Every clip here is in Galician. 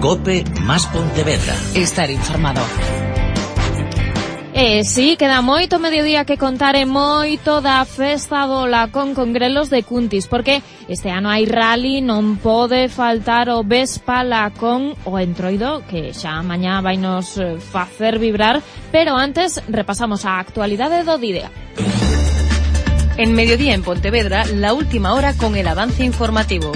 COPE más Pontevedra. Estar informado. Sí, queda moito mediodía que contar e moito da festa do Lacón con grelos de Cuntis, porque este ano hai rally, non pode faltar o Vespa Lacón o Entroido, que xa mañá vai nos facer vibrar, pero antes repasamos a actualidade do día. En Mediodía en Pontevedra, la última hora con el avance informativo.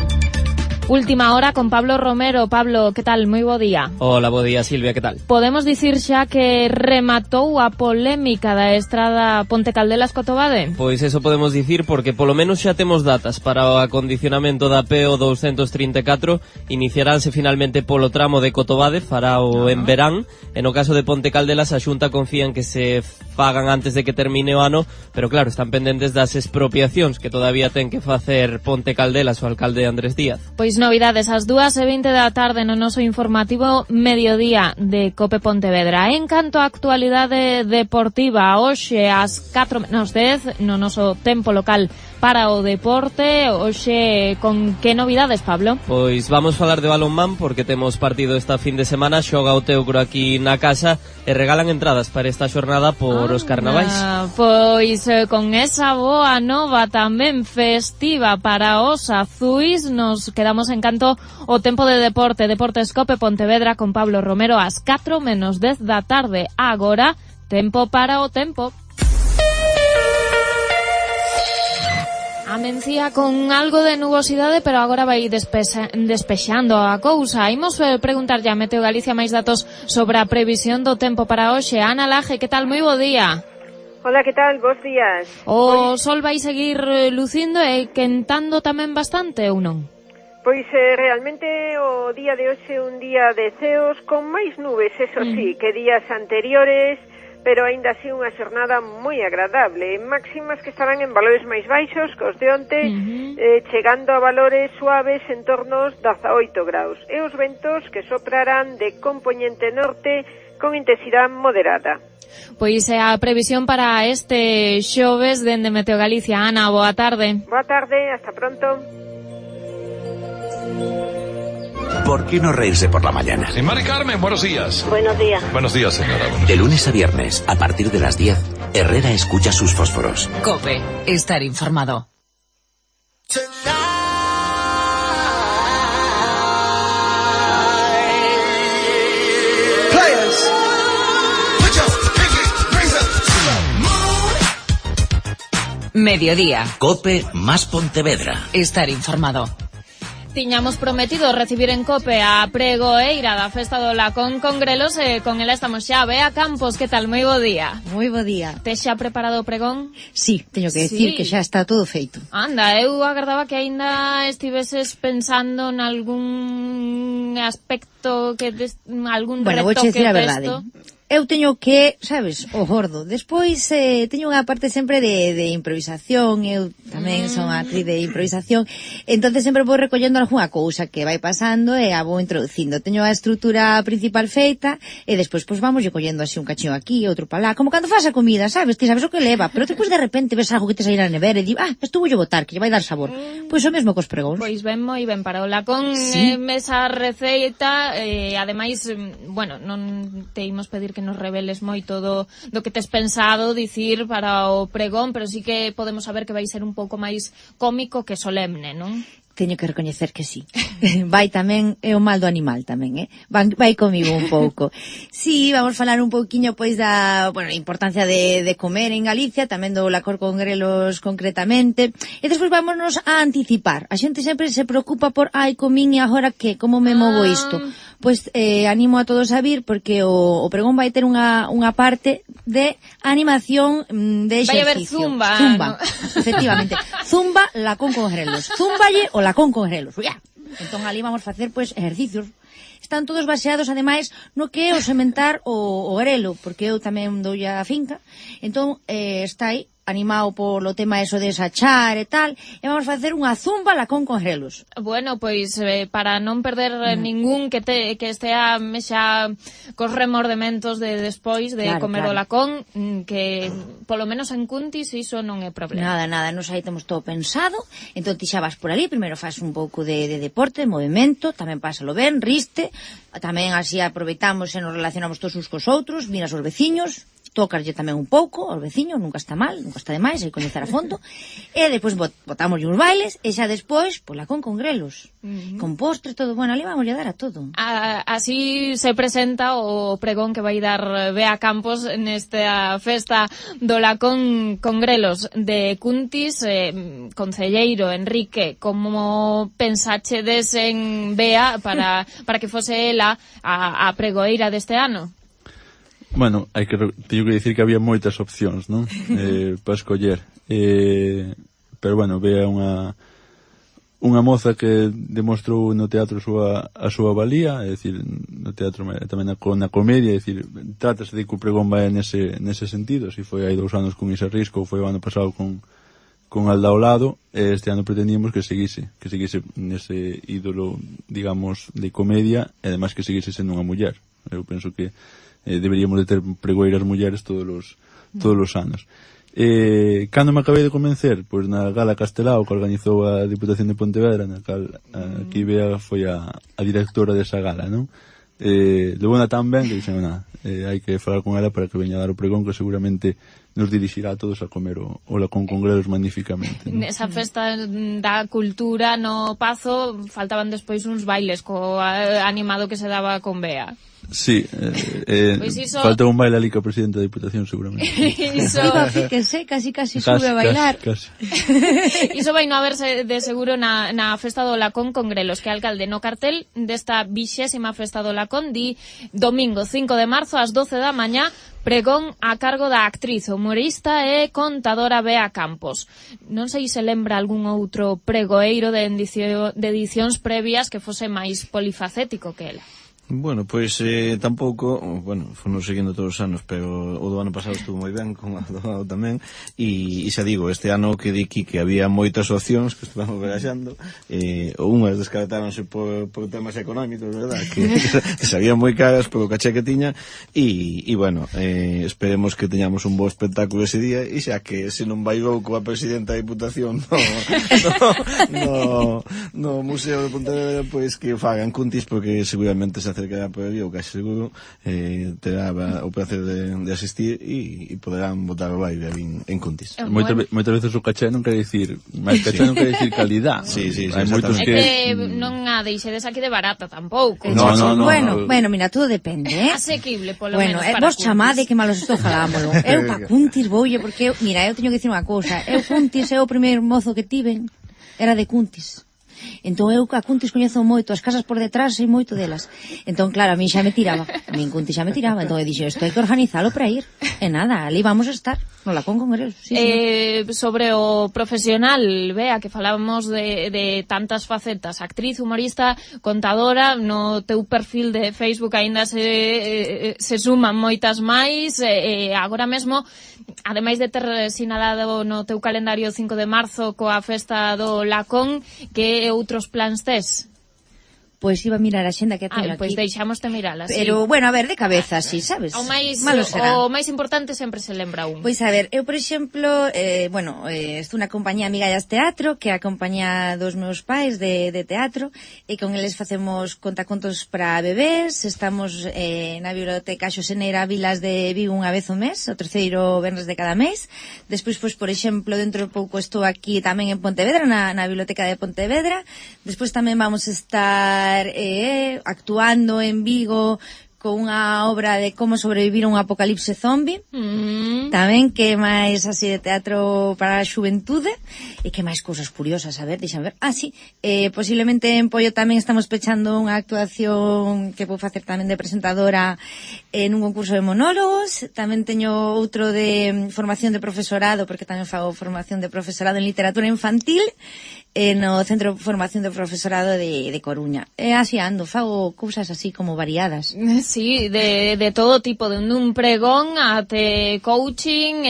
Última hora con Pablo Romero. Pablo, que tal? Moi bo día. Hola, bo día, Silvia, que tal? Podemos dicir xa que rematou a polémica da estrada Ponte Caldelas-Cotobade? Pois eso podemos dicir porque polo menos xa temos datas para o acondicionamento da PO 234. Iniciaránse finalmente polo tramo de Cotobade, farao en verán. E no caso de Ponte Caldelas, a Xunta confía en que se fagan antes de que termine o ano, pero claro, están pendentes das expropiacións que todavía ten que facer Ponte Caldelas o alcalde Andrés Díaz. Pois novidades ás 2:20 da tarde no noso informativo Mediodía de COPE Pontevedra. En canto á actualidade deportiva, hoxe ás 4:10 no noso tempo local para o deporte. Hoxe con que novidades, Pablo? Pois vamos falar de balonmán porque temos partido esta fin de semana, xoga o Teucro aquí na casa e regalan entradas para esta xornada por os carnavais. Pois con esa boa nova tamén festiva para os azuis, nos quedamos en canto o tempo de deporte, Deportes COPE Pontevedra con Pablo Romero ás 4:10 da tarde. Agora, tempo para o tempo. Amencía con algo de nubosidade, pero agora vai despexando a cousa. Imos preguntarlle a Meteo Galicia máis datos sobre a previsión do tempo para hoxe. Ana Laje, que tal? Moi bo día. Hola, que tal? Bos días. O sol vai seguir lucindo e quentando tamén bastante ou non? Pois realmente o día de hoxe é un día de ceos con máis nubes, eso sí, que días anteriores, pero aínda así unha xornada moi agradable, máximas que estarán en valores máis baixos que os de onte, chegando a valores suaves en torno aos 18 graus, e os ventos que soprarán de compoñente norte con intensidade moderada. Pois é a previsión para este xoves dende Meteo Galicia. Ana, boa tarde. Boa tarde, hasta pronto. ¿Por qué no reírse por la mañana? Sí, Mari Carmen, buenos días. Buenos días. Buenos días, señora. De lunes a viernes, a partir de las 10, Herrera escucha sus fósforos. COPE, estar informado. Mediodía. COPE más Pontevedra. Estar informado. Tiñamos prometido recibir en COPE a pregoeira da festa do Lacón con grelos e con ela estamos xa. Bea Campos, que tal? Moi bo día. Moi bo día. Tes xa preparado o pregón? Sí, teño que decir que xa está todo feito. Anda, eu agardaba que aínda estiveses pensando en algún aspecto que algún bueno, retoque vouche decir a texto. verdade. Eu teño que, sabes, o gordo. Despois teño unha parte sempre de improvisación. Eu tamén son actriz de improvisación. Entonces sempre vou recollendo algunha cousa que vai pasando e a vou introducindo. Teño a estrutura principal feita e despois pues vamos collendo así un cachiño aquí, outro para lá. Como cando faz a comida, sabes? Ti sabes o que leva, pero despois de repente ves algo que te saíra na nevera e di, esto voulle botar, que lle vai dar sabor. Pois o mesmo cos pregóns. Pois ben, moi ben para o Lacón, sí. Esa receita, ademais, bueno, non te imos pedir que nos reveles moito do que tes pensado dicir para o pregón, pero sí que podemos saber que vai ser un pouco máis cómico que solemne, non? Teño que recoñecer que sí. Vai tamén, é o mal do animal tamén, vai comigo un pouco. Sí, vamos falar un pouquiño pois da, bueno, importancia de comer en Galicia, tamén do Lacón con grelos concretamente, e despois vámonos a anticipar. A xente sempre se preocupa por, comín e agora que, como me movo isto? Pois animo a todos a vir porque o pregón vai ter unha parte de animación de exercicio. Vai haber zumba. Zumba, no? Efectivamente. Zumba, Lacón con grelos. Zumballe o Lacón con grelos. Entón ali vamos facer pois exercicios. Están todos baseados, ademais, no que é o sementar o grelo, porque eu tamén dou a finca. Entón está aí animado polo tema eso de sachar e tal, e vamos facer unha zumba lacón con grelos. Bueno, pois para non perder ningún que estea xa cos remordementos de despois de comer o lacón, que polo menos en Cuntis iso non é problema. Nada, nos aí temos todo pensado, entón ti xa vas por ali, primeiro faz un pouco de deporte, de movimento, tamén pásalo ben, riste, tamén así aproveitamos e nos relacionamos todos uns cos outros, miras os veciños, tócarlle tamén un pouco aos veciños, nunca está mal, nunca está de máis, hai que coñecer a fondo, e depois botamos uns bailes, e xa despois, pois lacón con grelos, con postres, todo, bueno, ali vamos a dar a todo. Así se presenta o pregón que vai dar Bea Campos nesta festa do lacón con grelos de Cuntis. Concelleiro Enrique, como pensachedes en Bea para que fose ela a pregoeira deste ano? Bueno, teño que dicir que había moitas opcións, non? Para escoller. Pero bueno, Bea unha moza que demostrou no teatro a súa valía, é dicir, no teatro tamén na comedia, é dicir, trátase de que o pregón vai nese sentido, se foi hai 2 anos con Isa Risco, ou foi o ano pasado con Alda ao lado, este ano pretendíamos que seguise nese ídolo, digamos, de comedia, e ademais que seguise sendo unha muller. Eu penso que deberíamos de ter pregoeiras mulleres todos os anos. Cando me acabei de convencer? Pois na Gala Castelao que organizou a Diputación de Pontevedra, na cal aquí Bea foi a directora desa gala, non? Levou-na tan ben que dixen, hai que falar con ela para que veña a dar o pregón, que seguramente nos dirixirá a todos a comer o lacón con grelos magníficamente, ¿no? Nesa festa da cultura no Pazo faltaban despois uns bailes co animado que se daba con Bea. Sí, pues falta un baile ali co presidente da Diputación seguramente. Fíjese, casi sube a bailar. Casi. Iso vai no haberse de seguro na festa do lacón con grelos, que alcalde no cartel desta 20ª festa do lacón di domingo 5 de marzo ás 12 da mañá, pregón a cargo da actriz, humorista e contadora Bea Campos. Non sei se lembra algún outro pregoeiro de edicións previas que fose máis polifacético que ela. Bueno, pois tampouco, fonos seguindo todos os anos, pero o do ano pasado estuvo moi ben, como o do ano tamén, e xa digo, este ano que di que había moitas opcións que estuvamos baraxando, unhas descartáronse por temas económicos, verdad, que sabían moi caras polo caché que tiña, e bueno, esperemos que teñamos un bo espectáculo ese día, e xa que se non bailou coa presidenta da Diputación no Museo de Pontevedra, pois que fagan Cuntis, porque seguramente se acercará por ali, o casi seguro terá o placer de asistir e poderán botar o baile en Cuntis. Moitas veces o caché non quere dicir, mas caché non quere dicir calidad. Sí, hai moitos que non a deixedes aquí de barata tampouco. No. Bueno, mira, todo depende, asequible, polo menos para vos chamade que malos estou jalámolo. Eu pa Cuntis voulle, porque mira, eu teño que dicir unha cousa, eu Cuntis é o primeiro mozo que tiven, era de Cuntis. Entón eu a Cuntis coñezo moito, as casas por detrás sei moito delas. Entón claro, a min xa me tiraba, Cuntis xa me tiraba, entón eu dixo, isto hai que organizalo para ir. E nada, ali vamos a estar, no lacón con grelos. Sí. Sobre o profesional, Bea, que falábamos de tantas facetas, actriz, humorista, contadora, no teu perfil de Facebook aínda se suman moitas máis, agora mesmo, ademais de ter sinalado no teu calendario 5 de marzo coa festa do lacón, que outros plans tes? Pois iba a mirar a xenda que teño aquí. Pois deixámoste mirala, sí. Pero, bueno, a ver, de cabeza, sí, sabes? O máis importante sempre se lembra un. Pois a ver, eu, por exemplo, estou na compañía Amigallas Teatro, que é a compañía dos meus pais de teatro, e con eles facemos contacontos para bebés, estamos na biblioteca Xoseneira Vilas de Vigo unha vez o mes, o terceiro venres de cada mes. Despois, pois, por exemplo, dentro de pouco estou aquí tamén en Pontevedra, na biblioteca de Pontevedra. Despois tamén vamos estar actuando en Vigo con unha obra de como sobrevivir a un apocalipse zombie, tamén que máis así de teatro para a xuventude, e que máis cousas curiosas, a ver, deixan ver. Posiblemente en Pollo tamén estamos pechando unha actuación que vou facer tamén de presentadora en un concurso de monólogos. Tamén teño outro de formación de profesorado, porque tamén fago formación de profesorado en literatura infantil. no Centro de Formación do Profesorado de Coruña. E así ando, fago cousas así como variadas. Sí, de todo tipo, de un pregón até coaching,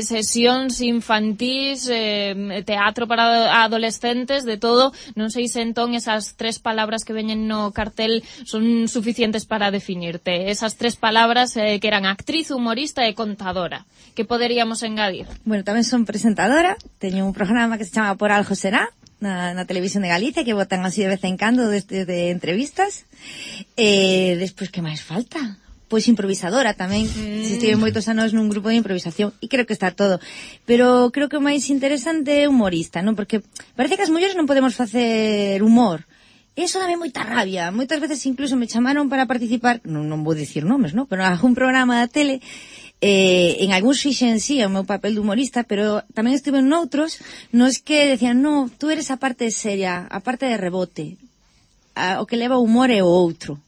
sesións infantís, teatro para adolescentes, de todo. Non sei se entón esas 3 palabras que veñen no cartel son suficientes para definirte. Esas 3 palabras que eran actriz, humorista e contadora. Que poderíamos engadir? Bueno, tamén son presentadora, teño un programa que se chama Por Algo Será, na Televisión de Galicia, que botan así de vez en cando de entrevistas. Despois, que máis falta? Pois improvisadora tamén. Estive moitos anos nun grupo de improvisación e creo que está todo. Pero creo que o máis interesante é humorista, non? Porque parece que as mulleres non podemos facer humor. Eso dame moita rabia. Moitas veces incluso me chamaron para participar, non vou dicir nomes, non? Pero en algún programa da tele, en algúns fixen sí o meu papel de humorista, pero tamén estuve en outros nos que decían, no, tú eres a parte seria, a parte de rebote, o que leva o humor é o outro,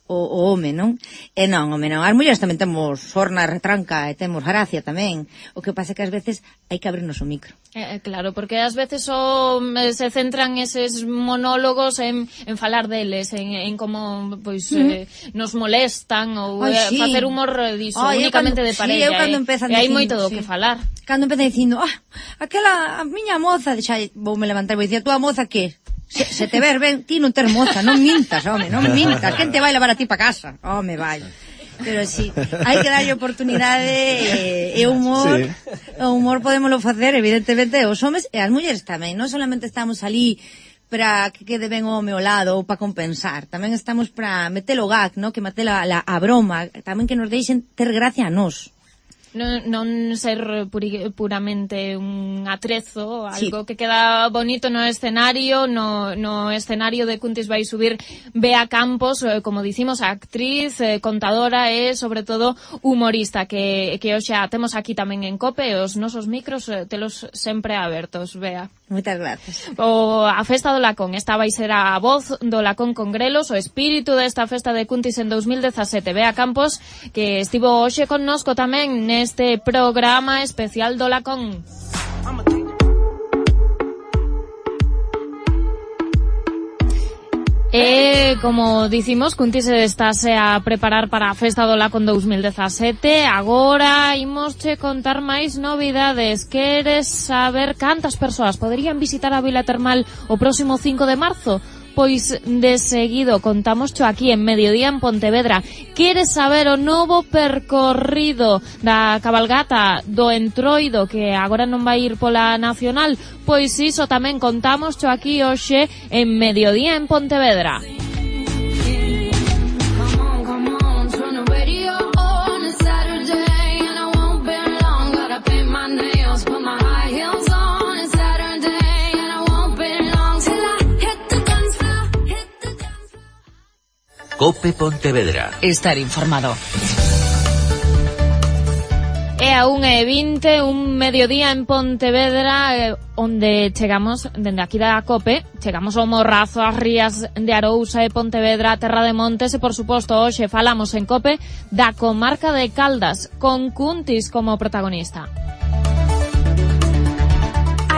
o home, non? E non, home, non. As mulleres tamén temos sorna, retranca, e temos gracia tamén. O que pasa é que ás veces hai que abrirnos o micro. Claro, porque ás veces se centran eses monólogos en falar deles, en como pois nos molestan ou facer humor diso, únicamente de parella. E hai moito do que falar. Cando empezan dicindo, a miña moza, xa voume levantar e vou dicir, a túa moza que? Se te ver ben, ti non ter moza, non mintas, home, non mintas. Quen te vai levar a ti pa casa? Home, vai. Pero sí, hai que darlle oportunidade e humor. Sí. O humor podémolo facer, evidentemente, os homes e as mulleres tamén. Non solamente estamos ali para que quede ben o home ao lado ou para compensar. Tamén estamos para meter o gag, ¿no? Que meter a broma. Tamén que nos deixen ter gracia a nós. Non ser puramente un atrezo, algo que queda bonito no escenario. No escenario de Cuntis vai subir Bea Campos, como dicimos, actriz, contadora e, sobre todo, humorista, que hoxe a temos aquí tamén en COPE, e os nosos micros telos sempre abertos, Bea. Moitas gracias. A festa do Lacón, esta vai ser a voz do Lacón con grelos, o espírito desta festa de Cuntis en 2017. Bea Campos, que estivo hoxe connosco tamén neste programa especial do Lacón. E, como dicimos, Cuntis estáse a preparar para a festa do Lacón 2017. Agora imosche contar máis novidades. Queres saber cantas persoas poderían visitar a Vila Termal o próximo 5 de marzo? Pois de seguido contámoscho aquí en Mediodía en Pontevedra. Queres saber o novo percorrido da cabalgata do Entroido, que agora non vai ir pola Nacional? Pois iso tamén contámoscho aquí hoxe en Mediodía en Pontevedra. COPE Pontevedra. Estar informado. É a 1:20, un mediodía en Pontevedra, onde chegamos, dende aquí da COPE, chegamos ao Morrazo, ás rías de Arousa e Pontevedra, a Terra de Montes, e por suposto hoxe falamos en COPE da comarca de Caldas, con Cuntis como protagonista.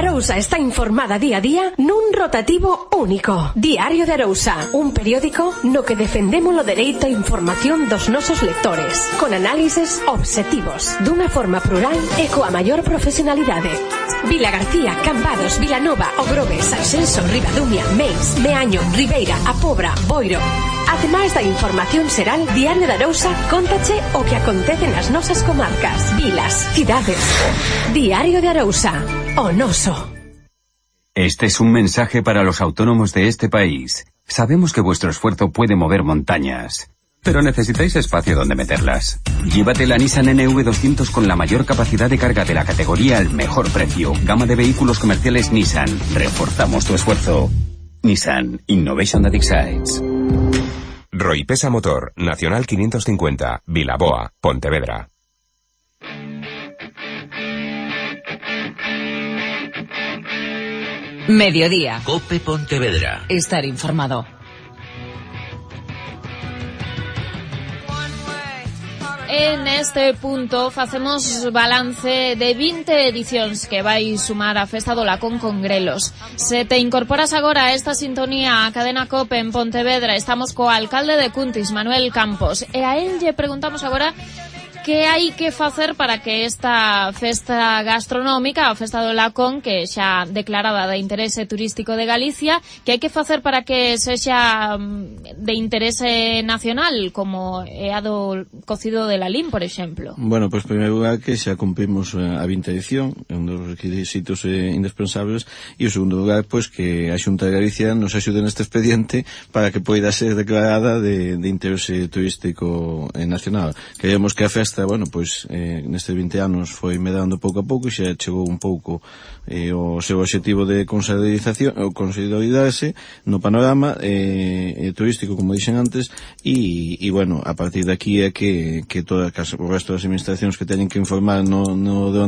Arousa está informada día a día nun rotativo único. Diario de Arousa, un periódico no que defendemos o dereito a información dos nosos lectores, con análises obxectivos, dunha forma plural e coa maior profesionalidade. Vila García, Cambados, Vilanova, Ogrove, Sanxenxo, Ribadumia, Meis, Meaño, Ribeira, A Pobra, Boiro. Ademais da información xeral, Diario de Arousa cóntache o que acontece nas nosas comarcas, vilas, cidades. Diario de Arousa, o noso. Este es un mensaje para los autónomos de este país. Sabemos que vuestro esfuerzo puede mover montañas, pero necesitáis espacio donde meterlas. Llévate la Nissan NV200 con la mayor capacidad de carga de la categoría al mejor precio. Gama de vehículos comerciales Nissan. Reforzamos tu esfuerzo. Nissan Innovation that excites. Roipesa Motor, Nacional 550, Vilaboa, Pontevedra. Mediodía. COPE Pontevedra. Estar informado. e neste punto facemos balance de 20 edicións que vai sumar a Festa do Lacón con grelos. Se te incorporas agora a esta sintonía a Cadena COPE en Pontevedra, estamos co alcalde de Cuntis, Manuel Campos, e a él lle preguntamos agora que hai que facer para que esta festa gastronómica, a Festa do Lacón, que xa declarada de interese turístico de Galicia, que hai que facer para que sexa de interese nacional, como é a do cocido de Lalín, por exemplo? Bueno, pois primeiro lugar que xa cumprimos a 20 edición, é un dos requisitos indispensables, e o segundo lugar, pois que a Xunta de Galicia nos axude neste expediente para que poida ser declarada de interese turístico nacional. Queremos que a festa, bueno, pois nestes 20 anos foi medrando pouco a pouco e xa chegou un pouco o seu objetivo de consolidarse no panorama turístico, como dixen antes, e bueno, a partir de aquí é que todas o resto das administracións que teñen que informar no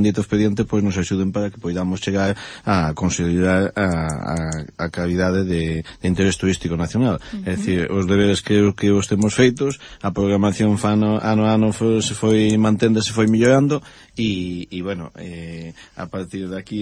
dito expediente, pois nos axuden para que poidamos chegar a consolidar a calidade de interés turístico nacional. É dicir, os deberes que os temos feitos, a programación ano a ano se foi mantendo, se foi mellorando e bueno, a partir de aquí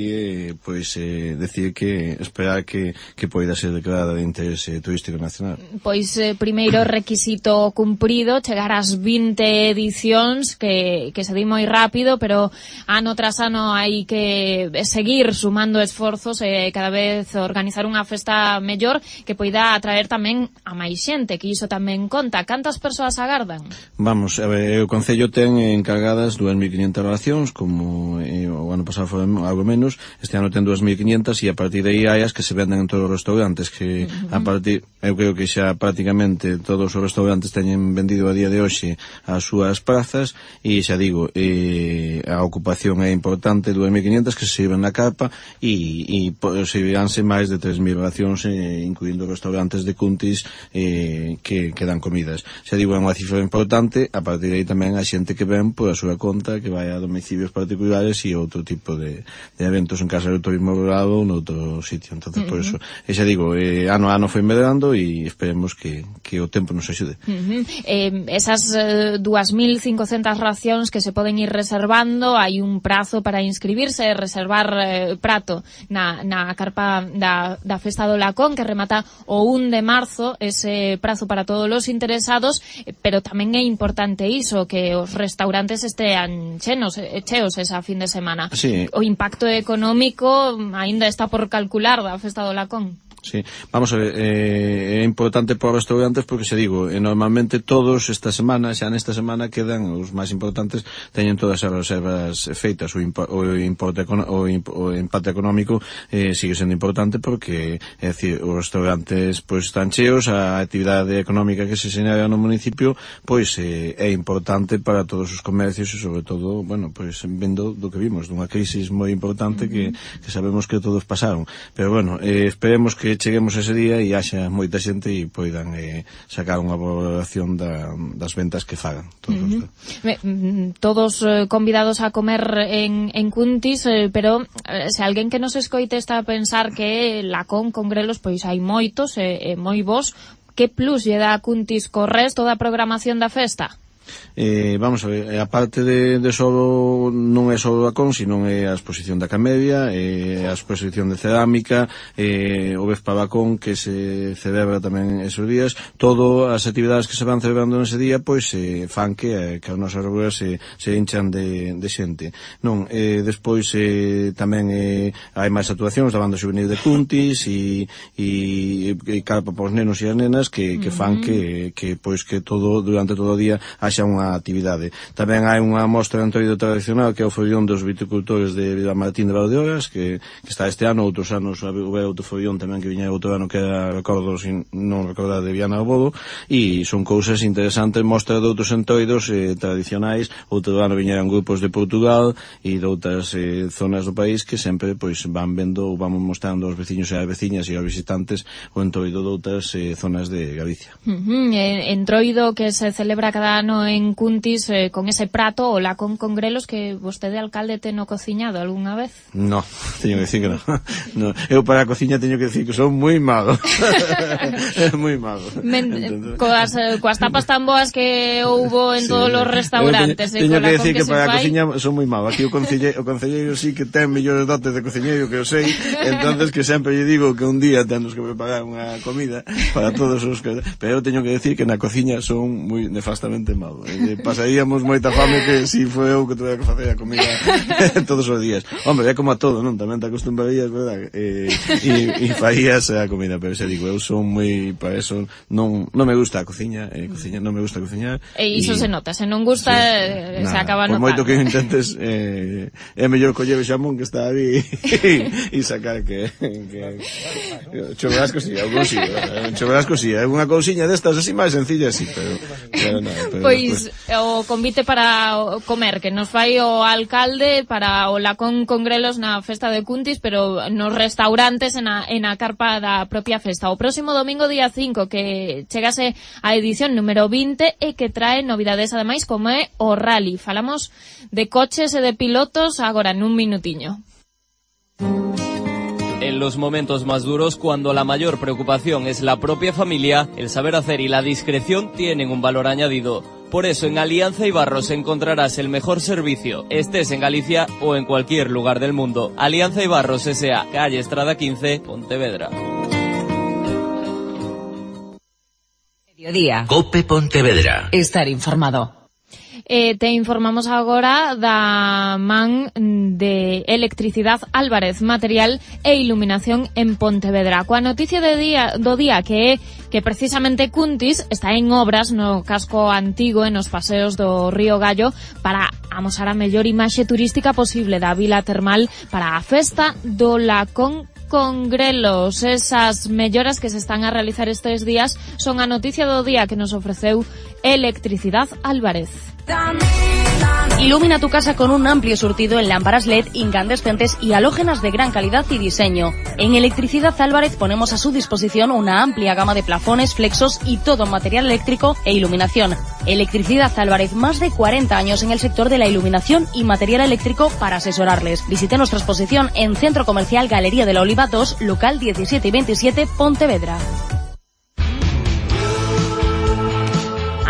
pois decir que esperar que poida ser declarada de interese turístico nacional. Pois primeiro requisito cumprido, chegar ás 20 edicións que se di moi rápido, pero ano tras ano hai que seguir sumando esforzos e cada vez organizar unha festa mellor que poida atraer tamén a máis xente, que iso tamén conta. Cantas persoas agardan? Vamos, a ver, o Concello ten encargadas 2.500 relacións, como o ano pasado foi algo menos, este ano ten 2.500 e a partir de aí hai as que se venden en todos os restaurantes, que a partir, eu creo que xa prácticamente todos os restaurantes teñen vendido a día de hoxe as súas prazas e xa digo, a ocupación é importante, 2.500 que se sirven na carpa e serviránse máis de 3.000 relacións, incluindo restaurantes de Cuntis que dan comidas. Xa digo, é unha cifra importante, a partir de aí tamén a xente que ven por a súa conta, que vai a domicilios particulares e outro tipo de eventos en casa do turismo rural ou noutro sitio. Entonces, por eso, xa digo, ano a ano foi medrando e esperemos que o tempo nos axude. Esas 2.500 racións que se poden ir reservando, hai un prazo para inscribirse, reservar prato na carpa da Festa do Lacón, que remata o 1 de marzo, ese prazo para todos os interesados, pero tamén é importante iso, que os restaurantes estean cheos esa fin de semana. Sí. O impacto económico aínda está por calcular da Festa do Lacón. Sí, vamos a ver, é importante para os restaurantes porque, se digo, normalmente todos esta semana, xa nesta semana quedan os máis importantes, teñen todas as reservas feitas, o empate económico sigue sendo importante porque, é dicir, os restaurantes pois están cheos, a actividade económica que se xenera no municipio pois é importante para todos os comercios e sobre todo, bueno, pois vendo do que vimos, dunha crisis moi importante que sabemos que todos pasaron, pero bueno, esperemos que cheguemos ese día e haxa moita xente e poidan sacar unha valoración das ventas que fagan. Todos convidados a comer en Cuntis, pero se alguén que nos escoite está a pensar que Lacón con grelos, pois hai moitos e moi bons, que plus lle dá a Cuntis co resto da programación da festa? Vamos a ver, a parte de solo, non é só o Lacón, sino é a exposición da Camedia, a exposición de cerámica, o Vespa Lacón que se celebra tamén esos días. Todas as actividades que se van celebrando nese día pois fan que as nosas ruas se hinchan de xente. Non, despois tamén hai máis actuacións da banda juvenil de Cuntis e carpa para os nenos e as nenas que fan que pois que todo durante todo o día haxa unha actividade. Tamén hai unha mostra de entroido tradicional que é o follón dos viticultores de Vilamartín de Valdeorras que está este ano, outros anos houve outro follón tamén que viña outro ano que era, recordo, non recordar, de Viana do Bodo, e son cousas interesantes, mostra de outros entroidos tradicionais. Outro ano viñeran grupos de Portugal e de outras zonas do país que sempre pois van vendo ou vamos mostrando aos veciños e ás veciñas e aos visitantes o entroido de outras zonas de Galicia. Entroido que se celebra cada ano ano en Cuntis con ese prato o lacón con grelos que vostede, alcalde, teno cociñado algunha vez? No, teño que decir que no. Eu para a cociña teño que decir que son moi malo. Moi malo. Coas tapas tan boas que houbo en todos os restaurantes. Teño que decir que para a cociña son moi malo. Aquí o concelleiro sí que ten mellores dotes de cociñeiro que eu sei, entonces que sempre lle digo que un día temos que preparar unha comida para todos os que... Pero eu teño que decir que na cociña son moi nefastamente malo. Pasaríamos moita fame que si foi eu que tuve que facer a comida todos os días. Hombre, é como a todo, non? Tamén te acostumbrarías, verdad? E farías a comida, pero xa digo, eu son moi... Para eso non me gusta a cociña, non me gusta cociñar. E iso se nota, se non gusta se acaba notando. Por moito que intentes, é mellor coller o xamón que está aí e sacar que choverasco si, algún si, choverasco si, unha cousiña destas así máis sencilla, sí, pero nada. Pois o convite para comer que nos fai o alcalde para o lacón con grelos na festa de Cuntis, pero nos restaurantes na carpa da propia festa. O próximo domingo, día 5, que chegase a edición número 20 e que trae novidades ademais como é o rally. Falamos de coches e de pilotos agora nun minutiño. En los momentos más duros, cuando la mayor preocupación es la propia familia, el saber hacer y la discreción tienen un valor añadido. Por eso en Alianza Ibarros encontrarás el mejor servicio, estés en Galicia o en cualquier lugar del mundo. Alianza Ibarros S.A., calle Estrada 15, Pontevedra. Mediodía. COPE Pontevedra. Estar informado. Te informamos agora da man de Electricidade Álvarez, material e iluminación en Pontevedra. Coa noticia do día que é que precisamente Cuntis está en obras no casco antigo e nos paseos do Río Gallo para amosar a mellor imaxe turística posible da vila termal para a festa do lacón con grelos. Esas melloras que se están a realizar estes días son a noticia do día que nos ofreceu Electricidade Álvarez. Ilumina tu casa con un amplio surtido en lámparas LED incandescentes y halógenas de gran calidad y diseño. En Electricidad Álvarez ponemos a su disposición una amplia gama de plafones, flexos y todo material eléctrico e iluminación. Electricidad Álvarez, más de 40 años en el sector de la iluminación y material eléctrico para asesorarles. Visite nuestra exposición en Centro Comercial Galería de la Oliva 2, local 17 y 27, Pontevedra.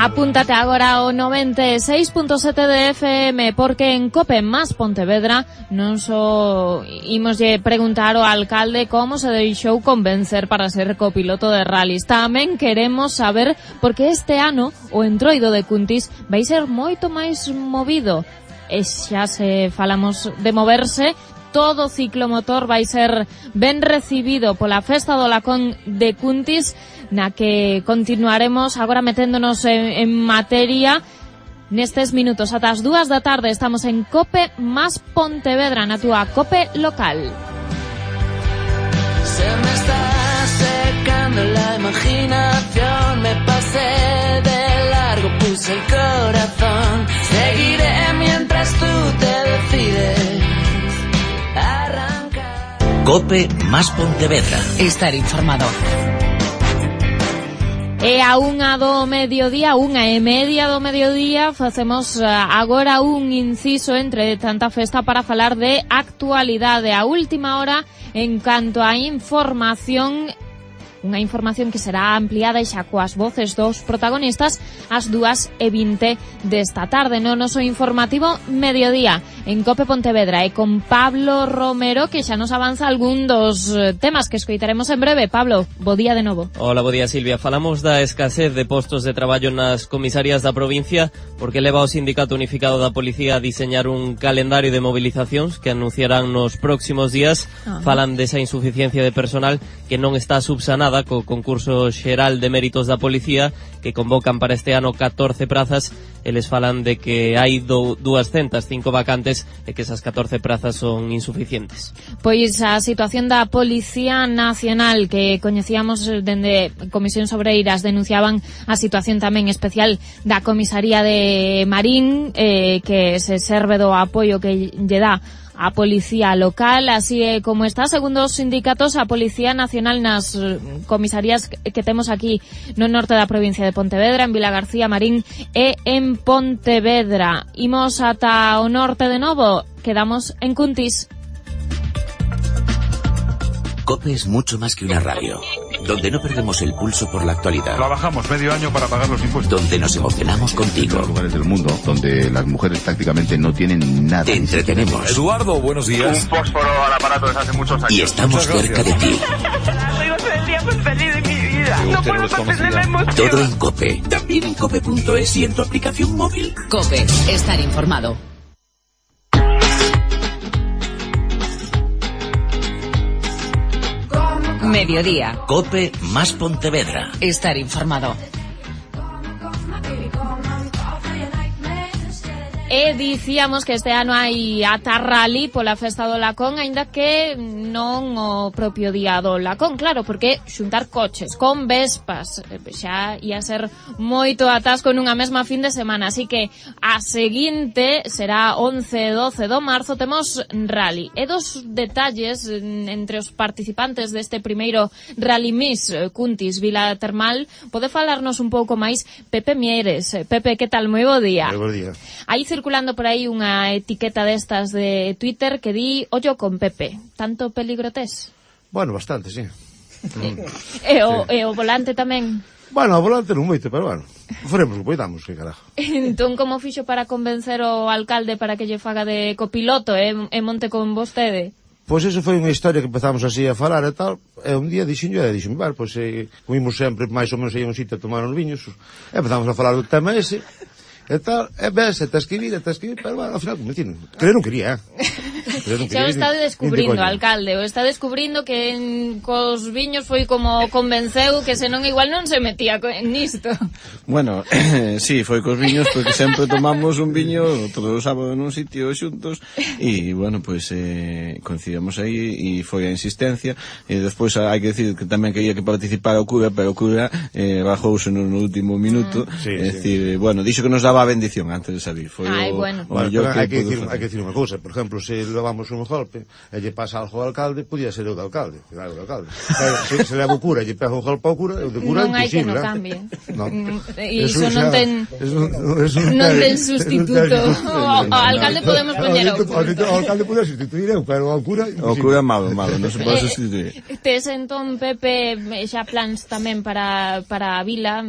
Apúntate agora ao 96.7 de FM, porque en COPE más Pontevedra non só imoslle preguntar ao alcalde como se deixou convencer para ser copiloto de rallies. Tamén queremos saber por que este ano o entroido de Cuntis vai ser moito máis movido. E xa se falamos de moverse, todo ciclomotor vai ser ben recibido pola festa do lacón de Cuntis, na que continuaremos agora meténdonos en materia nestes minutos. Ata as 2 da tarde estamos en COPE más Pontevedra, na túa COPE local. Se me está secando la imaginación, me pasé de largo, puse el corazón, seguiré mientras tú te decides arrancar. COPE más Pontevedra. Estar informado. E a 1:30 do mediodía, facemos agora un inciso entre tanta festa para falar de actualidade. A última hora en canto a información, unha información que será ampliada e xa coas voces dos protagonistas ás 2:20 desta tarde no noso informativo mediodía en COPE Pontevedra e con Pablo Romero, que xa nos avanza algún dos temas que escoitaremos en breve. Pablo, bo día de novo. Hola, bo día, Silvia. Falamos da escasez de postos de traballo nas comisarias da provincia porque leva o Sindicato Unificado da Policía a diseñar un calendario de movilizacións que anunciarán nos próximos días. Falan desa insuficiencia de personal que non está subsanada co concurso xeral de méritos da policía, que convocan para este ano 14 prazas. Eles falan de que hai 205 vacantes e que esas 14 prazas son insuficientes. Pois a situación da Policía Nacional, que coñecíamos dende Comisións Obreiras, denunciaban a situación tamén especial da Comisaría de Marín, que se serve do apoio que lle dá a Policía Local, así como está, segundo os sindicatos, a Policía Nacional nas comisarías que temos aquí no norte da provincia de Pontevedra, en Vilagarcía, Marín e en Pontevedra. Imos ata o norte de novo, quedamos en Cuntis. COPE es mucho más que una radio, donde no perdemos el pulso por la actualidad. Trabajamos medio año para pagar los impuestos. Donde nos emocionamos contigo. En los lugares del mundo donde las mujeres prácticamente no tienen nada. Te entretenemos. Eduardo, buenos días. Un fósforo al aparato desde hace muchos años. Y estamos cerca de ti. Soy el día más feliz de mi vida. No puedo contener la emoción. Todo en COPE. También en COPE.es y en tu aplicación móvil. COPE. Estar informado. Mediodía. COPE más Pontevedra. Estar informado. E dicíamos que este ano hai ata rally pola festa do Lacón, aínda que non o propio día do Lacón, claro, porque xuntar coches con vespas xa ia ser moito atasco nunha mesma fin de semana, así que a seguinte será 11 e 12 do marzo, temos rally. E dos detalles entre os participantes deste primeiro Rally Miss Cuntis Vila Termal, pode falarnos un pouco máis Pepe Mieres. Pepe, que tal? Moi bo día. Moi bo día. Aí circulando por aí unha etiqueta destas de Twitter que di ollo con Pepe. Tanto peligro tes? Bueno, bastante, sí. E o volante tamén? Bueno, o volante non moito, pero bueno, faremos o que poidamos, que carajo. Entón, como fixo para convencer o alcalde para que lle faga de copiloto e monte con vostede? Pois eso foi unha historia que empezamos así a falar e tal, e un día dixen, vale, pois comimos sempre máis ou menos aí un sitio a tomar uns viños, e empezamos a falar do tema ese, e tal, e ves, e te escribir, pero bueno, ao final convencido. Que eu non quería, Xa o está descubrindo, alcalde, o está descubrindo que cos viños foi como convenceu que senón igual non se metía nisto. Bueno, sí, foi cos viños porque sempre tomamos un viño todos os sábados nun sitio xuntos e, bueno, pois coincidimos aí e foi a insistencia e despois hai que decir que tamén quería que participara o cura, pero o cura bajouse no último minuto, é dicir, bueno, dixo que nos daba a bendición antes de salir. Foi bueno. Hai que decir unha cousa, por exemplo, se levamos un golpe e lle pasa algo ao alcalde, podía ser o do alcalde, claro, o alcalde. Se leva o cura e lle pega un golpe ao cura, o de cura non é imposible. Non hai que no cambie. E iso non ten sustituto. O alcalde podemos poñer outro. O alcalde podía sustituir eu, pero o cura imposible. O cura é malo, non se pode sustituir. Tes entón, Pepe, xa plans tamén para a vila,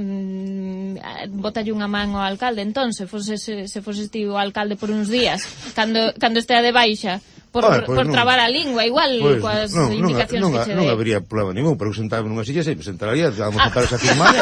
botalle unha man ao alcalde, entón, se foses ti o alcalde por uns días, cando estea de baixa, por trabar a lingua, igual, coas indicacións que che dé. Non habería problema ningún, pero sentaba nunha silla sempre sentaría, vamos a sentar esa firmada,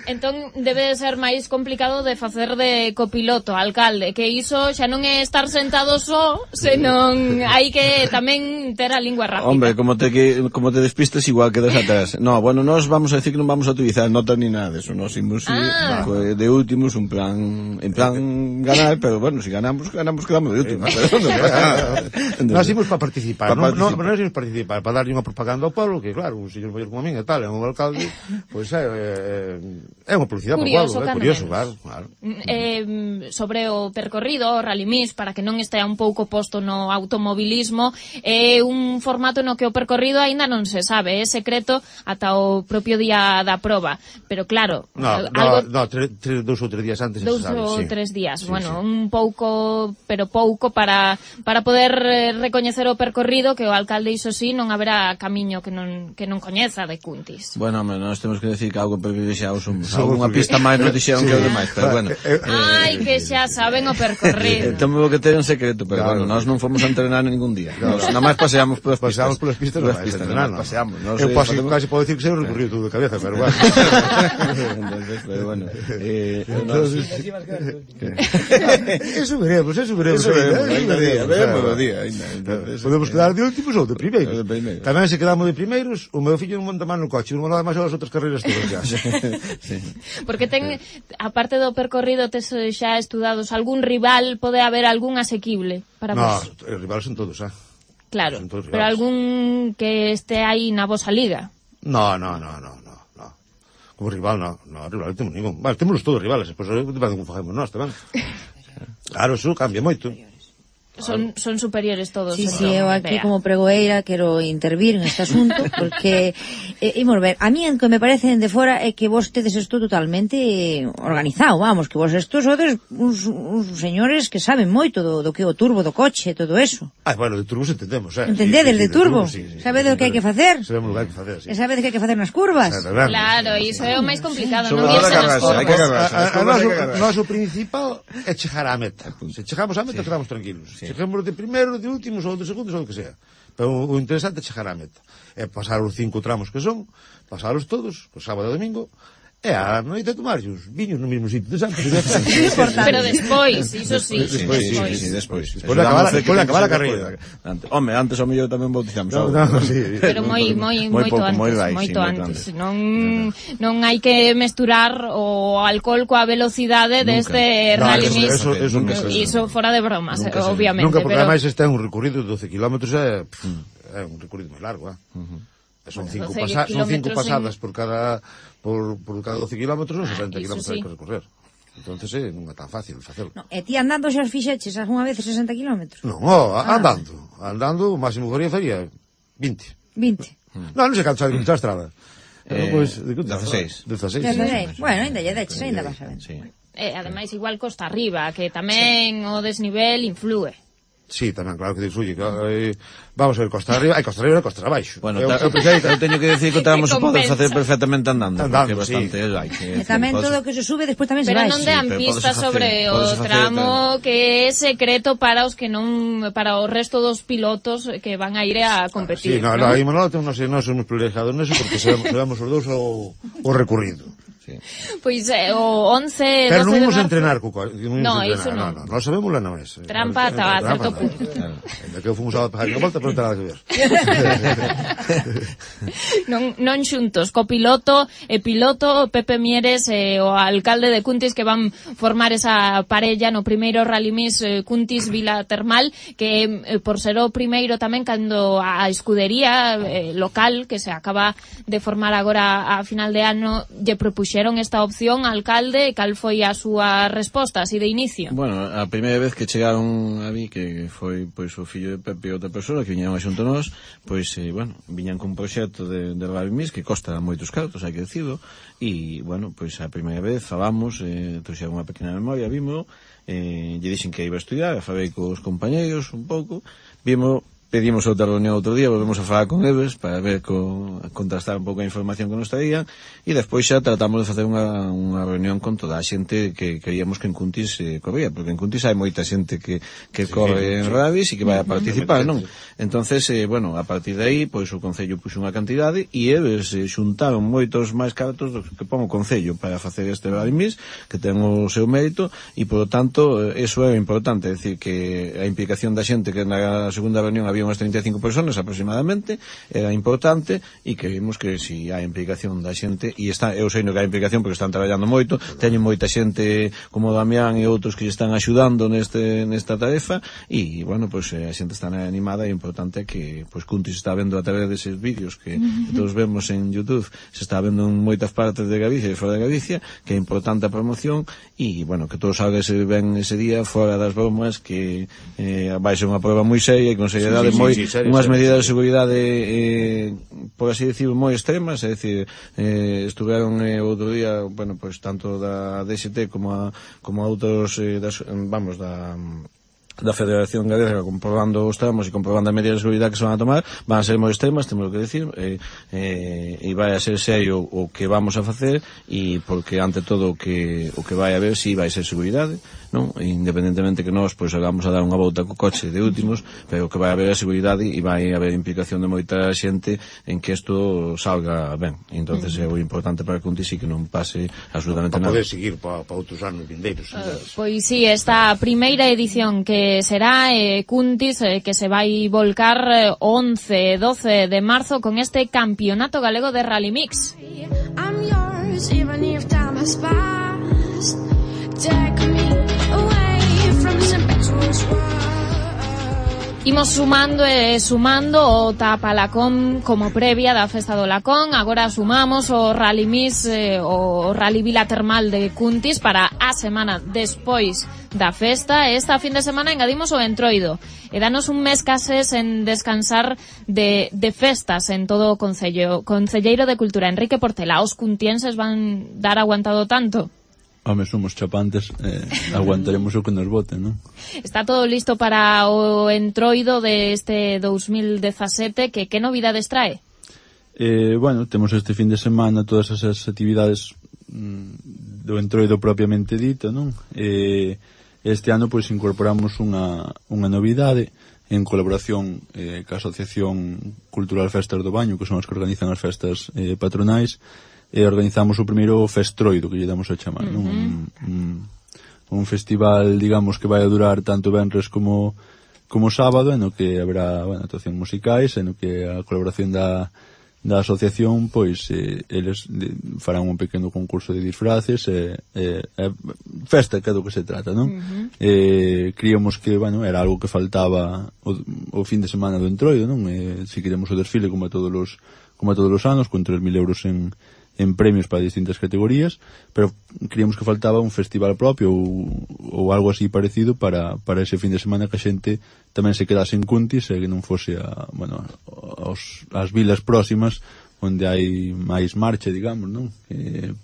Entón debe ser máis complicado de facer de copiloto, alcalde, que iso xa non é estar sentado só, senón hai que tamén ter a lingua rápida. Hombre, como te despistes igual quedas atrás. No, bueno, nós vamos a decir que non vamos a utilizar notas ni nada de eso, nos imos de últimos, en plan ganar, pero bueno, si ganamos quedamos de últimos. Nós imos para participar, nós imos participar, para darlle unha propaganda ao pueblo, que claro, un señor maior como a min e tal, é un alcalde, pois é unha publicidade para o pueblo, é curioso, claro. Sobre o percorrido, o Rally Miss, para que non estea un pouco posto no automobilismo, é un formato no que o percorrido aínda non se sabe, é secreto ata o propio día da proba, pero claro, dous ou tres días antes se sabe. 2 ou 3 días, bueno, un pouco, pero pouco para poder recoñecer o percorrido, que o alcalde iso sí, non haberá camiño que non coñeza de Cuntis. Bueno, hombre, nós temos que decir que algo privilexiados unha pista máis nos dixeron que os demais, pero bueno. Ai, que xa saben o percorrido. Temos que ter un secreto, pero bueno, nós non fomos a entrenar ningún día. Nada máis paseamos polas pistas. Polas pistas, non máis entrenar, non. Paseamos. Eu casi podo decir que se recorrido todo de cabeza, pero bueno. Pero bueno. Eso veremos. Veremos o día. Podemos quedar de últimos ou de primeiros. Tamén se quedamos de primeiros, o meu fillo non monta máis no coche, non monta máis as outras carreiras todas xa. Porque aparte do percorrido, tes xa estudados algún rival, pode haber algún asequible para vos? No, os rivales son todos, Claro, pero algún que este aí na vosa liga? No. Como rival, no, rival non temos ningún. Vale, temos todos rivales, pois depende como facemos nós tamén. Claro, eso cambia moito. Son superiores todos. Sí, eu aquí como pregoeira quero intervir en este asunto porque imos ver, a mí en que me parece de fora é que vos tedes isto totalmente organizado, vamos, que vos estos sodes uns señores que saben moito do que o turbo do coche, todo eso. Bueno, de turbos entendemos, Entendedes de turbo? Sabedes o que hai que facer? Sabemos o que hai que facer, sí. E sabedes que hai que facer nas curvas? Claro, iso é o máis complicado, non irse nas O curvas. noso principal é chegar á meta. Se chegamos á meta, quedamos tranquilos. Chegamos de primeiro, de últimos, ou de segundos, ou o que sea. Pero o interesante é chegar á meta. É pasar os 5 tramos que son, pasaros todos, o sábado e domingo, e a noite tomarlle os viños no mesmo sitio de Santos. Pero despois, iso sí. Despois. Despois de acabar a carreira. Home, antes ao mellor tamén bautizamos. Pero moito antes. Non hai que mesturar o alcohol coa velocidade deste rally mix. Iso fora de bromas, obviamente. Nunca, porque ademais este é un recorrido de 12 kilómetros, é un recorrido máis largo, Son 5 pasadas por cada 12 kilómetros, son 60 kilómetros hai que recorrer. Entonces non é tan fácil facelo. E ti andando xa os fixeches algunha vez 60 kilómetros? Non, andando, o máximo que faría 20. 20? Non sei canto sabe que a estrada. 16. Bueno, ainda lle deches, ainda vas a ver. Ademais, igual costa arriba, que tamén o desnivel influe. Sí, tamén, claro que influye. Vamos a ver, costa arriba e costa abaixo. Bueno, eu teño que decir que o tramo se pode facer perfectamente andando, porque bastante e tamén todo o que se sube despois tamén se vai. Pero non dean pistas sobre o tramo que é secreto para os que non, para o resto dos pilotos que van a ir a competir. Sí, aí Manolo non somos privilegiados neso porque sabemos os dous o recorrido. Pois o 11, 12 pero non de vamos marzo... a entrenar, Cuco. No, iso non. Non sabemos la non é. Trampa ata a certo punto. Ainda que fomos a pagar unha volta, pero non ten nada que ver. non xuntos, co piloto Pepe Mieres e o alcalde de Cuntis que van formar esa parella no primeiro Rally Mix Cuntis Vila Termal, que por ser o primeiro tamén cando a escudería local que se acaba de formar agora a final de ano lle propuxeron esta opción, alcalde, cal foi a súa resposta así de inicio? Bueno, a primeira vez que chegaron a mí, que foi pois o fillo de Pepe e outra persoa que viñeron a xunto nós, pois, viñan con un proxecto de Rally Mix que costa moitos cartos, hai que dicirlo, e, bueno, pois a primeira vez falamos, trouxeron unha pequena memoria, vimos, lle dixen que iba a estudiar, falei cos compañeiros un pouco, pedimos outra reunión outro día, volvemos a falar con eles para ver, contrastar un pouco a información que nos traían e despois xa tratamos de facer unha reunión con toda a xente que creíamos que en Cuntis corría, porque en Cuntis hai moita xente que corre en rallies e que vai a participar, non? Entonces, bueno, a partir de aí, pois o Concello puxo unha cantidade e eles xuntaron moitos máis cartos do que pon o Concello para facer este Rally Mix, que ten o seu mérito e, por lo tanto, eso é importante, é dicir, que a implicación da xente que na segunda reunión había unhas 35 personas aproximadamente, era importante e que vimos que si hai implicación da xente e eu sei que hai implicación porque están traballando moito, teñen moita xente como Damián e outros que están axudando nesta tarefa e, bueno, pois a xente está animada e importante que pois Cuntis está vendo a través deses vídeos que todos vemos en YouTube, se está vendo en moitas partes de Galicia e fora de Galicia, que é importante a promoción e, bueno, que todos salga ben ese día fora das bromas, que vai ser unha prova moi seria e con seriedade unhas medidas de seguridade por así decir moi extremas, é dicir, estuveron outro día, bueno, pois tanto da DST como a outros da Federación Galega comprobando os tramos e comprobando as medidas de seguridade que se van a tomar, van a ser moi extremas, temos que decir, e vai a ser serio o que vamos a facer e porque ante todo o que vai a haber si vai ser seguridade, non? Independentemente que nós pois vamos a dar unha volta co coche de últimos, pero que vai haber a seguridade e vai haber implicación de moita xente en que isto salga ben. Entonces é o importante para Cuntis e que non pase absolutamente nada. Para poder seguir para outros anos vindeiros. Pois sí, esta primeira edición que será Cuntis, que se vai volcar 11 e 12 de marzo con este Campeonato Galego de Rally Mix. I'm yours, even if time has passed. Take me away from this impetuous world. Imos sumando e sumando o Tapalacón como previa da Festa do Lacón. Agora sumamos o Rally Miss, o Rally Vila Termal de Cuntis para a semana despois da festa. Esta fin de semana engadimos o Entroido e danos un mes case en descansar de festas en todo o Concello. Concelleiro de Cultura, Enrique Portela, os cuntienses van dar aguantado tanto? Home, somos chapantes, aguantaremos o que nos voten, non? Está todo listo para o Entroido de este 2017, que novidades trae? Bueno, temos este fin de semana todas esas actividades do Entroido propiamente dito, non? Este ano, pois, incorporamos unha novidade en colaboración ca Asociación Cultural Festas do Baño, que son as que organizan as festas patronais. Organizamos o primeiro Festroido, que lle damos a chamar, non? Un festival, digamos, que vai a durar tanto venres como sábado, no que haberá, bueno, actuacións musicais, no que a colaboración da asociación, pois, eles farán un pequeno concurso de disfraces, festa, que é do que se trata, non? Críamos que, bueno, era algo que faltaba o fin de semana do Entroido, non? Si queremos o desfile como a todos os anos, con 3.000 euros en premios para distintas categorías, pero creíamos que faltaba un festival propio ou algo así parecido para ese fin de semana, que a xente tamén se quedase en Cuntis e que non fose as vilas próximas onde hai máis marcha, digamos, non?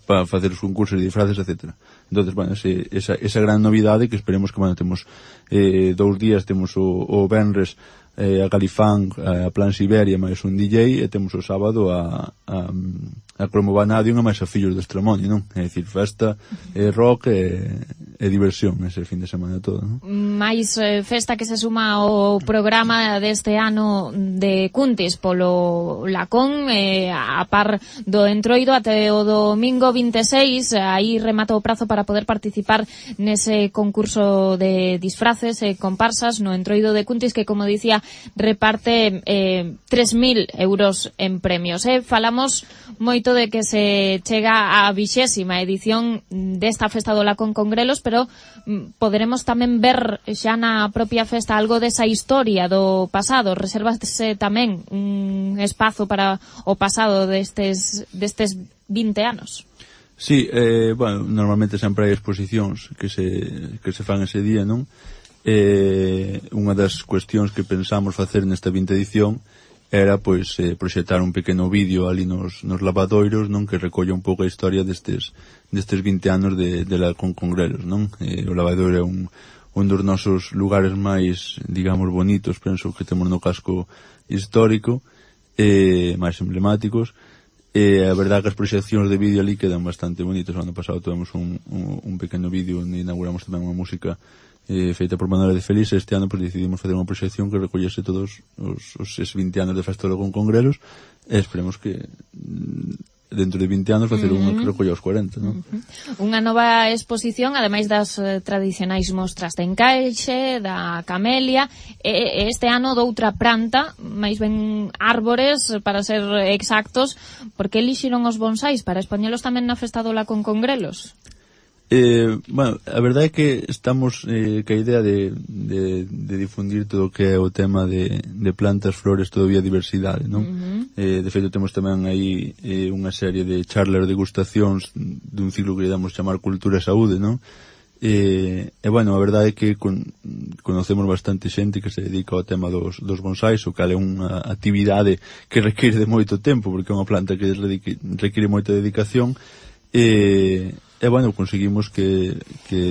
Para facer os concursos de disfraces, etc. Entonces, bueno, esa gran novidade que esperemos que, bueno, temos 2 días, temos o venres a Califán, a Plan Siberia máis un DJ, e temos o sábado a Cromo Vanadium e máis a Fillos de Estremoño, non? É dicir, festa, rock e diversión ese fin de semana todo, non? Mais festa que se suma ao programa deste ano de Cuntis polo Lacón, a par do Entroido até o domingo 26, aí remata o prazo para poder participar nese concurso de disfraces e comparsas no Entroido de Cuntis, que, como dicía, reparte 3.000 euros en premios. Falamos moito de que se chega á 20ª edición desta Festa do Lacón con Grelos, pero poderemos tamén ver xa na propia festa algo desa historia do pasado. Resérvase tamén un espazo para o pasado destes 20 anos. Sí, bueno, normalmente sempre hai exposicións que se fan ese día, non? Unha das cuestións que pensamos facer nesta 20ª edición era, pois, proxectar un pequeno vídeo ali nos lavadoiros, non? Que recolla un pouco a historia destes 20 anos de Lacón con Grelos, non? O lavadoiro é un dos nosos lugares máis, digamos, bonitos, penso, que temos no casco histórico, máis emblemáticos. A verdade que as proxeccións de vídeo ali quedan bastante bonitas. O ano pasado tuvemos un pequeno vídeo onde inauguramos tamén unha música feita por Manuela de Feliz. Este ano, pues, decidimos facer unha proxección que recollese todos os 20 anos de Festa do Lacón con Grelos, e esperemos que dentro de 20 anos facer unha que recolla os 40, non? Unha nova exposición, ademais das tradicionais mostras de encaixe, da camelia, este ano doutra planta, máis ben árbores, para ser exactos. Por que elixiron os bonsais? Para expoñelos tamén na Festa do Lacón con Grelos? Bueno, a verdade é que estamos ca idea de difundir todo o que é o tema de plantas, flores, todo a diversidade, non? De feito, temos tamén aí unha serie de charlas de degustacións dun ciclo que damos chamar Cultura e Saúde, non? E bueno, a verdade é que conocemos bastante xente que se dedica ao tema dos bonsais, o cal é unha actividade que require de moito tempo, porque é unha planta que require moita dedicación. E bueno, conseguimos que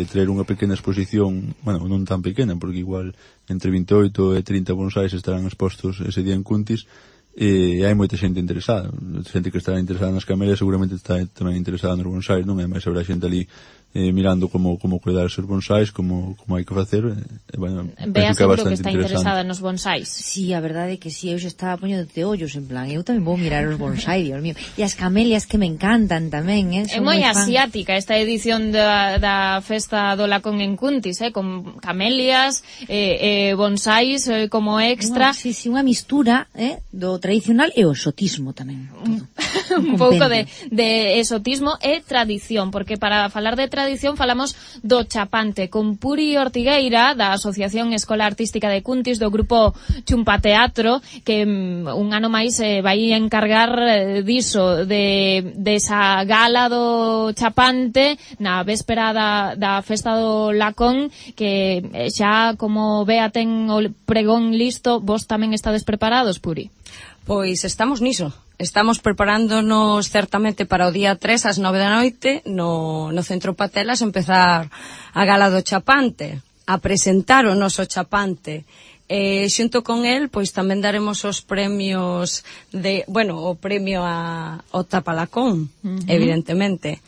traer unha pequena exposición, bueno, non tan pequena, porque igual entre 28 e 30 bonsais estarán expostos ese día en Cuntis, e hai moita xente interesada. Xente que estará interesada nas camelias seguramente está tamén interesada nos bonsais, non? E máis habrá xente ali mirando como cuidar os bonsais, como hai que facer. Bueno, Bea seguro que está interesada nos bonsais. Sí, a verdade é que sí, eu xa estaba poñéndote ollos, en plan, eu tamén vou mirar os bonsais, Dios mío. E as camelias que me encantan tamén, É moi asiática esta edición da Festa do Lacón en Cuntis, con camelias, bonsais como extra. Sí, unha mistura do tradicional e o exotismo tamén. un pouco de exotismo e tradición, porque para falar de tradición falamos do chapante con Puri Ortigueira da Asociación Escola Artística de Cuntis, do grupo Chumpa Teatro, que un ano máis vai encargar diso, desa gala do chapante na véspera da festa do Lacón, que xa como Bea ten o pregón listo, vos tamén estades preparados, Puri? Pois estamos niso. Estamos preparándonos certamente para o día 3 ás 9 da noite no Centro Patelas empezar a gala do chapante, a presentar o noso chapante. Xunto con el, pois tamén daremos os premios o premio ao Tapalacón, evidentemente.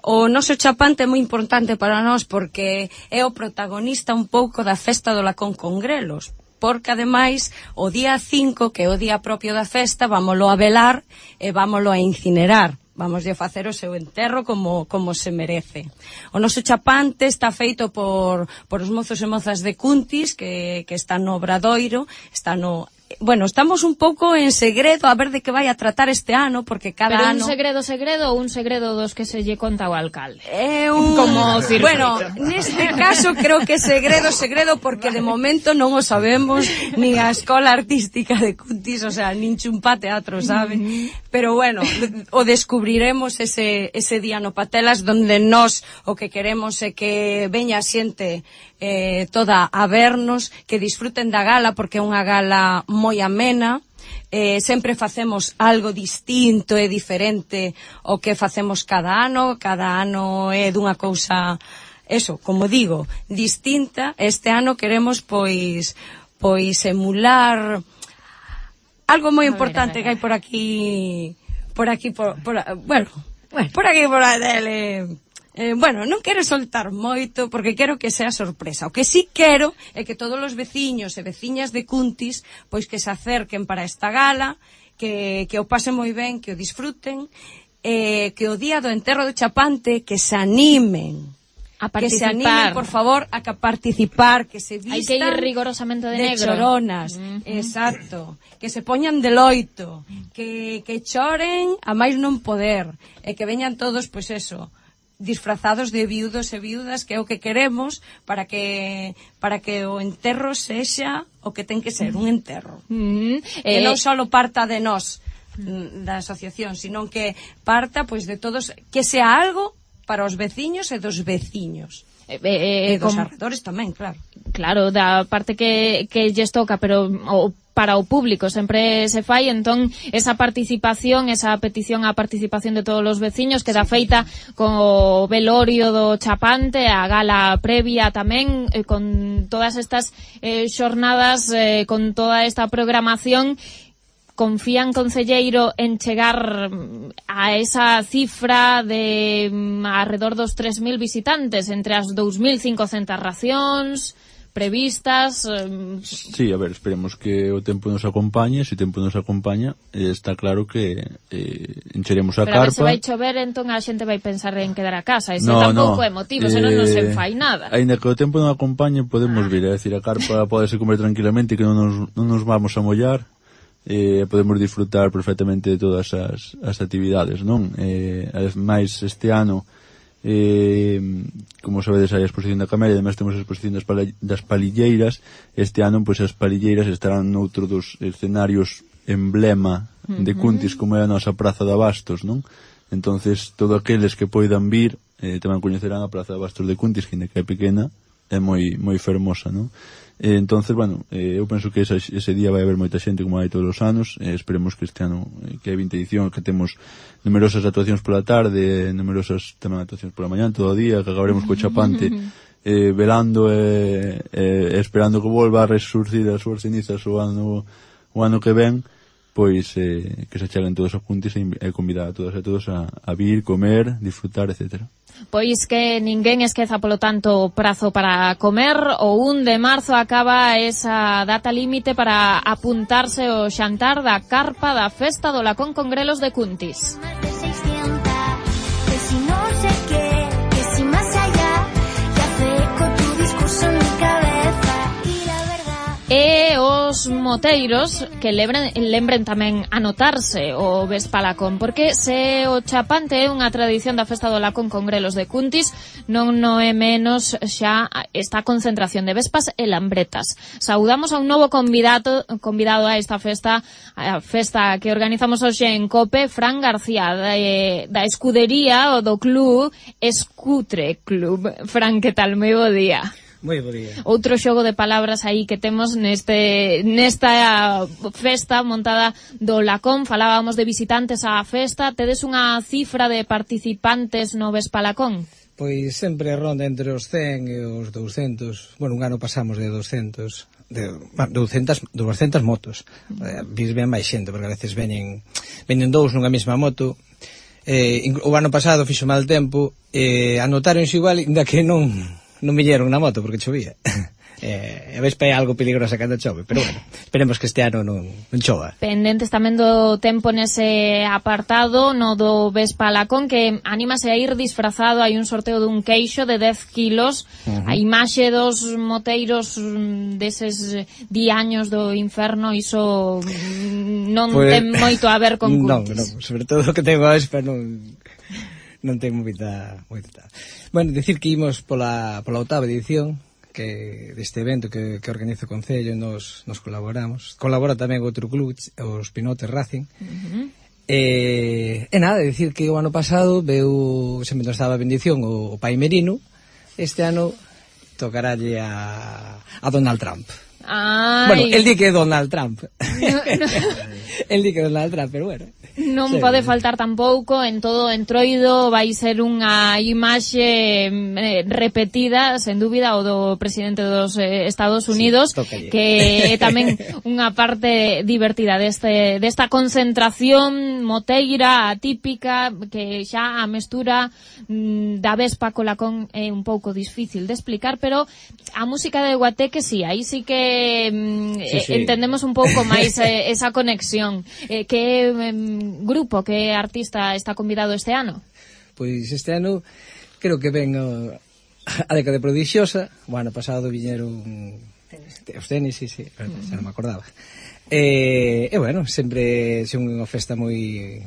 O noso chapante é moi importante para nós porque é o protagonista un pouco da festa do Lacón con grelos, porque ademais o día 5, que é o día propio da festa, vámolo a velar e vámolo a incinerar. Vamos a facer o seu enterro como se merece. O noso chapante está feito por os mozos e mozas de Cuntis que están no Obradoiro, estamos un pouco en segredo a ver de que vai a tratar este ano, porque cada ano... Pero un segredo ou un segredo dos que se lle conta ao alcalde? Bueno, neste caso creo que segredo, porque de momento non o sabemos nin a Escola Artística de Cuntis, o sea, nin Chumpa Teatro, sabe? Pero bueno, o descubriremos ese día no Patelas, donde nós o que queremos é que veña a xente toda a vernos, que disfruten da gala, porque é unha gala moi amena. Sempre facemos algo distinto e diferente ao que facemos cada ano é dunha cousa, como digo, distinta. Este ano queremos pois emular algo moi importante que hai por aquí por a tele. Non quero soltar moito porque quero que sea sorpresa. O que sí quero é que todos os veciños e veciñas de Cuntis pois que se acerquen para esta gala, que o pasen moi ben, que o disfruten, que o día do enterro do chapante que se animen a participar. Que se animen, por favor, a participar, que se vistan. Hai que ir rigorosamente de negro. Choronas, exacto. Que se poñan de loito, que choren a máis non poder, e que veñan todos, pois disfrazados de viudos e viudas, que é o que queremos para que o enterro sexa o que ten que ser, un enterro. Que non só parta de nós, da asociación, sino que parta pois de todos, que sea algo para os veciños e dos veciños. E dos arredores tamén, claro. Claro, da parte que lles toca, pero para o público sempre se fai, entón esa participación, esa petición á participación de todos os veciños queda feita co velorio do chapante, a gala previa tamén, con todas estas xornadas, con toda esta programación. Confían, concelleiro, en chegar a esa cifra de alrededor dos 3.000 visitantes entre as 2.500 racións previstas? Sí, a ver, esperemos que o tempo nos acompañe. Se o tempo nos acompaña, está claro que encheremos a carpa. Pero a ver se vai chover, entón a xente vai pensar en quedar a casa. Ese tampouco é motivo, senón non se fai nada. Ainda que o tempo non acompañe, podemos vir. É dicir, a carpa podese comer tranquilamente, que non nos vamos a mollar. Podemos disfrutar perfectamente de todas as actividades, non? Ademais, este ano, como sabedes, hai a exposición da Camelia, ademais temos a exposición das palilleiras. Este ano, pois, as palilleiras estarán noutro dos escenarios emblema de Cuntis, como é a nosa Praza de Abastos, non? Entonces, todos aqueles que poidan vir tamén coñecerán a Praza de Abastos de Cuntis, que é pequena, é moi fermosa, non? Entonces, bueno, eu penso que ese día vai haber moita xente, como hai todos os anos. Esperemos que este ano, que é 20 edición, que temos numerosas actuacións pola tarde, numerosas tamén actuacións pola mañá, todo o día, que acabaremos co chapante velando e esperando que volva a resurcir as súas cenizas o ano que ven, pois que se cheguen todos a Cuntis e convidar a todas e todos a vir, comer, disfrutar, etcétera. Pois que ninguén esqueza, polo tanto, o prazo para comer. O 1 de marzo acaba esa data límite para apuntarse ao xantar da carpa da festa do Lacón con grelos de Cuntis. E os os moteiros que lembren tamén anotarse o Vespalacón, porque se o chapante é unha tradición da festa do Lacón con grelos de Cuntis, non é menos xa esta concentración de vespas e lambretas. Saudamos a un novo convidado a esta festa, a festa que organizamos hoxe en COPE, Fran García, da escudería ou do club Escutre Club. Fran, que tal? Moi bo día. Moi bo día. Outro xogo de palabras aí que temos nesta festa montada do Lacón. Falábamos de visitantes á festa. Tedes unha cifra de participantes no Vespalacón? Pois sempre ronda entre os 100 e os 200. Bueno, un ano pasamos de 200 motos. Ven máis xente, porque a veces veñen dous nunha mesma moto. O ano pasado fixo mal tempo, anotáronse igual, ainda que non viñeron na moto porque chovía. A Vespa é algo peligrosa cando chove, pero bueno, esperemos que este ano non chova. Pendentes tamén do tempo nese apartado, no do Vespalacón, que anímase a ir disfrazado. Hai un sorteo dun queixo de 10 kilos, a imaxe dos moteiros deses diaños do inferno, iso non ten moito a ver con Cuntis. Non, sobre todo o que tengo a Vespa non ten moita. Bueno, dicir que imos pola 8ª edición que deste evento que organiza o Concello, nos colaboramos. Colabora tamén outro club, os Pinotes Racing. E nada, dicir que o ano pasado sempre nos daba bendición o Pai Merino. Este ano tocaralle a Donald Trump. Bueno, el di que é Donald Trump. El di que é Donald Trump, pero bueno. Non pode faltar tampouco, en todo o entroido vai ser unha imaxe repetida, sen dúbida, o do presidente dos Estados Unidos, que é tamén unha parte divertida desta concentración moteira atípica, que xa a mestura da Vespa co Lacón é un pouco difícil de explicar, pero a música de Guateque sí, aí sí que entendemos un pouco máis esa conexión. Que grupo, que artista está convidado este ano? Pois este ano creo que ven a década prodigiosa. O ano pasado viñeron os tenis, sí, xa non me acordaba. E bueno, sempre é unha festa moi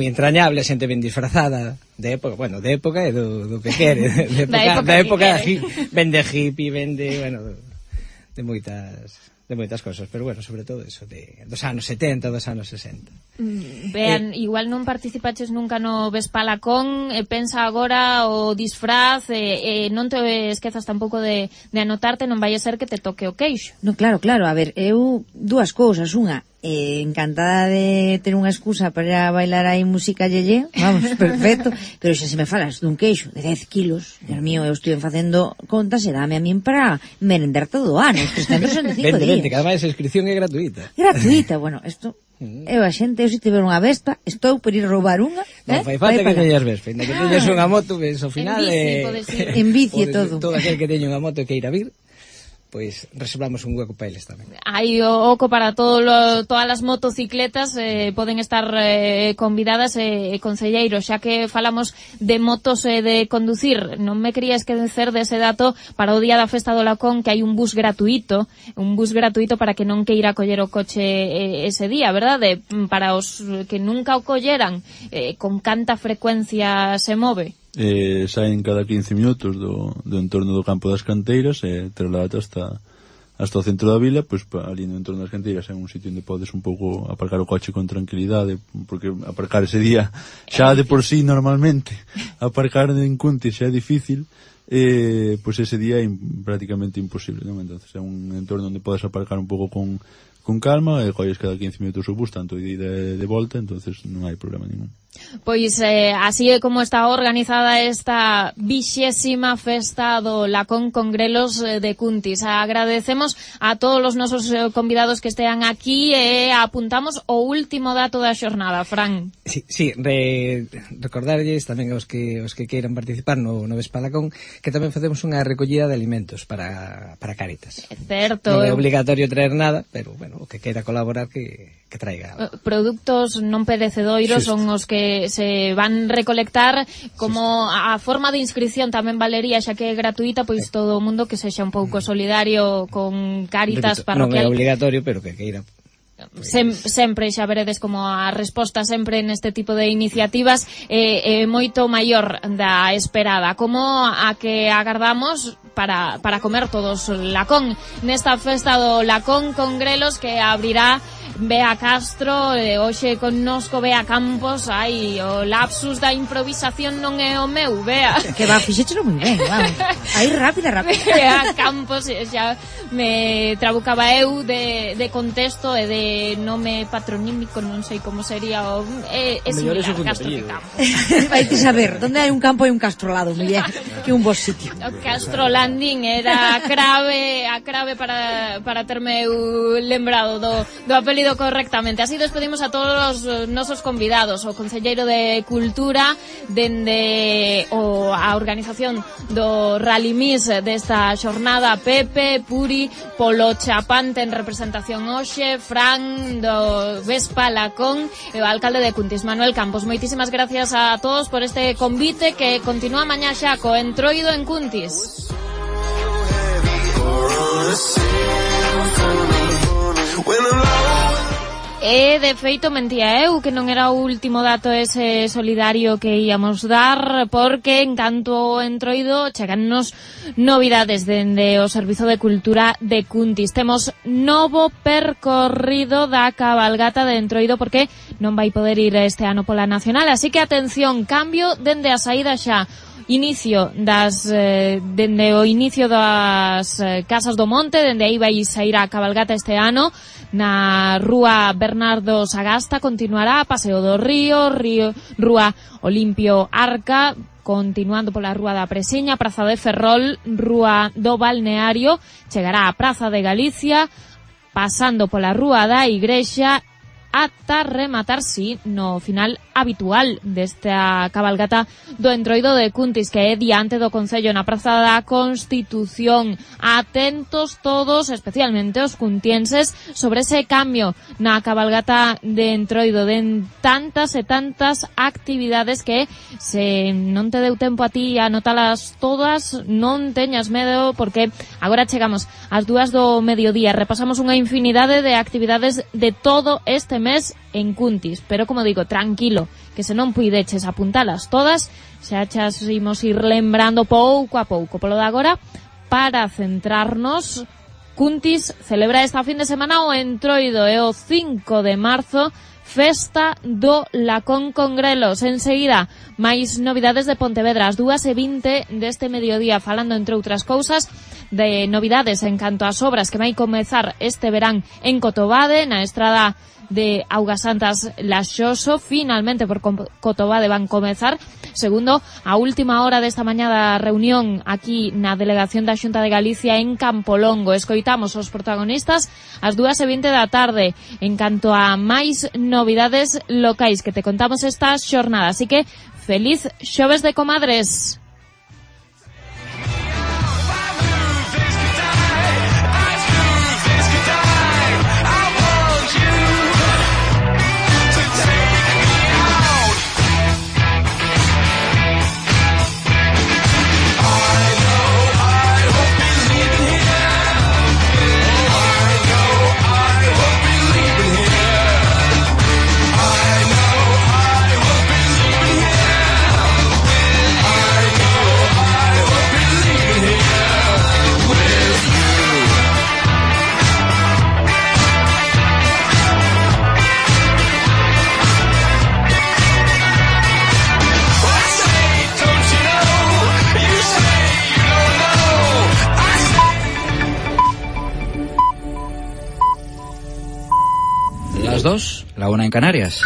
entrañable, a xente ben disfrazada de época e do que quere, da época ben de hippie, ben de moitas cosas, pero bueno, sobre todo eso dos anos 70, dos anos 60. Vean, igual non participaches nunca no Vespalacón, pensa agora o disfraz, non te esquezas tampouco de anotarte, non vai a ser que te toque o queixo. No, claro, a ver, eu dúas cousas, unha, encantada de ter unha excusa para bailar aí música yeye, vamos, perfecto, pero xa se me falas dun queixo de 10 kilos, Dios mío, eu estou facendo contas e dame a min para merendar todo o ano, 365 días. Que ademais a inscripción é gratuita. Gratuita, bueno, isto eu a xente, eu se tiver unha Vespa, estou por ir roubar unha. Non fai falta que teñas Vespa, ainda que teñas unha moto, ves, ao final en bici e todo. Todo aquel que teña unha moto que ir a vir, pois reservamos un hueco para eles tamén. Hai o oco para todas as motocicletas, poden estar convidadas, concelleiros, xa que falamos de motos de conducir, non me quería esquecer dese dato para o día da festa do Lacón, que hai un bus gratuito para que non queira coller o coche ese día, verdade? Para os que nunca o colleran, con canta frecuencia se move? Saen cada 15 minutos do entorno do campo das canteiras e traslada hasta o centro da vila, pois ali no entorno das canteiras é un sitio onde podes un pouco aparcar o coche con tranquilidade, porque aparcar ese día xa de por sí normalmente aparcar en Cuntis xa é difícil, pois ese día é prácticamente imposible, non? Entonces é un entorno onde podes aparcar un pouco con calma e colles cada 15 minutos o bus, tanto de ida e de volta, entonces non hai problema ningún. Pois así é como está organizada esta 20ª festa do Lacón con grelos de Cuntis. Agradecemos a todos os nosos convidados que estean aquí e apuntamos o último dato da xornada, Fran. Sí, recordarlles tamén aos que queiran participar no Vespalacón que tamén facemos unha recollida de alimentos para Cáritas. É certo. Non é obligatorio traer nada, pero bueno, bueno, o que queira colaborar que traiga produtos non perecedoiros Xusto. son os que se van recolectar como a forma de inscripción tamén valería, xa que é gratuita, pois todo o mundo que sexa un pouco solidario con Cáritas non é parroquial. obligatorio, pero que queira. Sempre xa veredes como a resposta sempre neste tipo de iniciativas é moito maior da esperada, como a que agardamos para comer todos lacón nesta festa do lacón con grelos que abrirá Bea Castro, hoxe connosco Bea Campos. Ai, o lapsus da improvisación non é o meu, Bea. Que va, fixéchelo moi ben, vamos. Aí rápida. Bea Campos, xa me trabucaba eu de contexto e de nome patronímico, non sei como sería o... É similar, Castro que Campos. Vai te saber, donde hai un campo hai un Castro ao lado, muller, que un bo sitio. O Castro Landing era a crave para terme eu lembrado do apelido correctamente. Así despedimos a todos os nosos convidados, o concelleiro de Cultura dende a organización do Rally Miss desta xornada, Pepe, Puri, polo Chapante en representación hoxe, Fran do Vespa Lacón e o alcalde de Cuntis, Manuel Campos. Moitísimas gracias a todos por este convite que continúa mañá xa co Entroido en Cuntis. E, de feito, mentía eu que non era o último dato ese solidario que íamos dar, porque en canto ao Entroido chegannos novidades dende o Servizo de Cultura de Cuntis. Temos novo percorrido da cabalgata de Entroido porque non vai poder ir este ano pola nacional, así que atención, cambio dende a saída xa. Dende o inicio das Casas do Monte, dende aí vai sair a cabalgata este ano na Rúa Bernardo Sagasta, continuará Paseo do Río, Rúa Olimpio Arca, continuando pola Rúa da Presiña, Praza de Ferrol, Rúa do Balneario, chegará a Praza de Galicia, pasando pola Rúa da Igrexa, ata rematar, sí, no final habitual desta cabalgata do Entroido de Cuntis, que é diante do Concello na Praza da Constitución. Atentos todos, especialmente os cuntienses, sobre ese cambio na cabalgata de Entroido, de tantas e tantas actividades que se non te deu tempo a ti a anotalas todas, non teñas medo, porque agora chegamos ás 2 do mediodía, repasamos unha infinidade de actividades de todo este mes en Cuntis, pero como digo, tranquilo, que se non puideches apuntalas todas, xa chas imos ir lembrando pouco a pouco. Polo de agora, para centrarnos, Cuntis celebra esta fin de semana o Entroido, e o 5 de marzo Festa do Lacón con grelos. Enseguida, máis novidades de Pontevedra, as 2:20 deste mediodía, falando, entre outras cousas, de novidades en canto ás obras que vai comezar este verán en Cotobade, na estrada de Augasantas Laxoso. Finalmente por Cotobade van comezar, segundo a última hora desta mañá da reunión aquí na delegación da Xunta de Galicia en Campolongo. Escoitamos os protagonistas ás 2:20 da tarde en canto a máis novidades locais que te contamos esta xornada. Así que feliz xoves de comadres. Las 2, la 1 en Canarias.